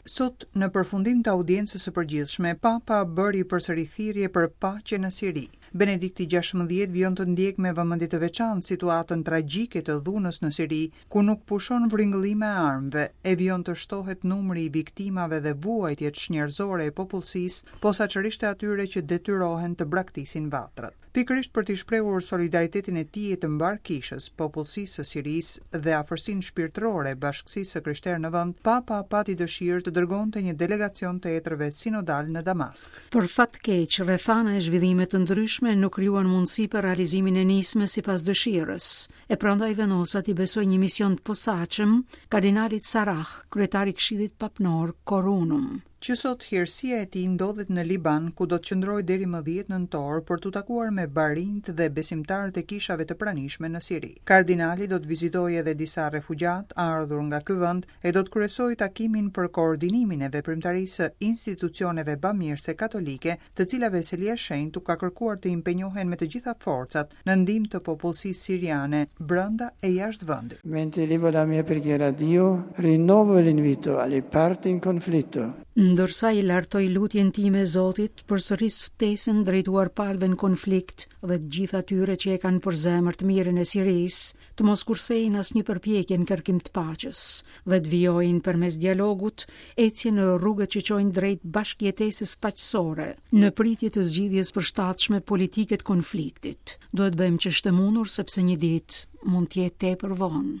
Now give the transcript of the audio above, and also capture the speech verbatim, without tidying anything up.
Sot, në përfundim të audiencës së përgjithshme, Papa bëri përsëri thirrje për paqe në Siri. Benedikti gjashtëmbëdhjetë vijon të ndjekë me vëmendje të veçantë situatën tragjike të dhunës në Siri, ku nuk pushon vringëllima e armëve, e vijon të shtohet numri i viktimave dhe vuajtjet çnjerëzore e popullsisë, posaçërisht e atyre që detyrohen të braktisin vatrat. Pikërisht për t'i shprehur solidaritetin e tij e të mbarë kishës, popullsisë së Sirisë dhe afërsinë shpirtërore bashkësisë së krishterë në vend, Papa pati dëshirë të dërgonte një delegacion të etërve sinodal në Damask. Për fat keq, rrethana e zhvillime të ndryshme nuk krijuan mundësi për realizimin e nismës sipas dëshirës, e prandaj vendosa t'i besoj një mision të posaçëm kardinalit Sarah, kryetari i Këshillit Papnor Cor Unum. Që sot hirësia e tij ndodhet në Liban, ku do të qëndrojë deri më dhjetë nëntor për t'u takuar me barinjt dhe besimtarët e kishave të pranishme në Siri. Kardinali do të vizitojë edhe disa refugjat ardhur nga ky vend e do të kryesojë takimin për koordinimin e veprimtarisë së institucioneve bamirëse katolike, të cilave Selia e Shenjtë u ka kërkuar të impenjohen me të gjitha forcat në ndihmë të popullsisë siriane brenda e jashtë vendit. Mentre elevo la mia preghiera a Dio, rinnovo l'invito alle parti in conflitto. Ndërsa i lartoj lutjen time Zotit, përsëris ftesën drejtuar palëve në konflikt dhe të gjithë atyre që e kanë për zemër të mirën e Sirisë, të mos kursejnë asnjë përpjekje në kërkim të paqes dhe të vijojnë përmes dialogut ecjen në rrugët që çojnë drejt bashkëjetesës paqësore, në pritje të zgjidhjes përshtatshme politike të konfliktit. Duhet bëjmë ç'është e mundur sepse një ditë mund të jetë tepër vonë.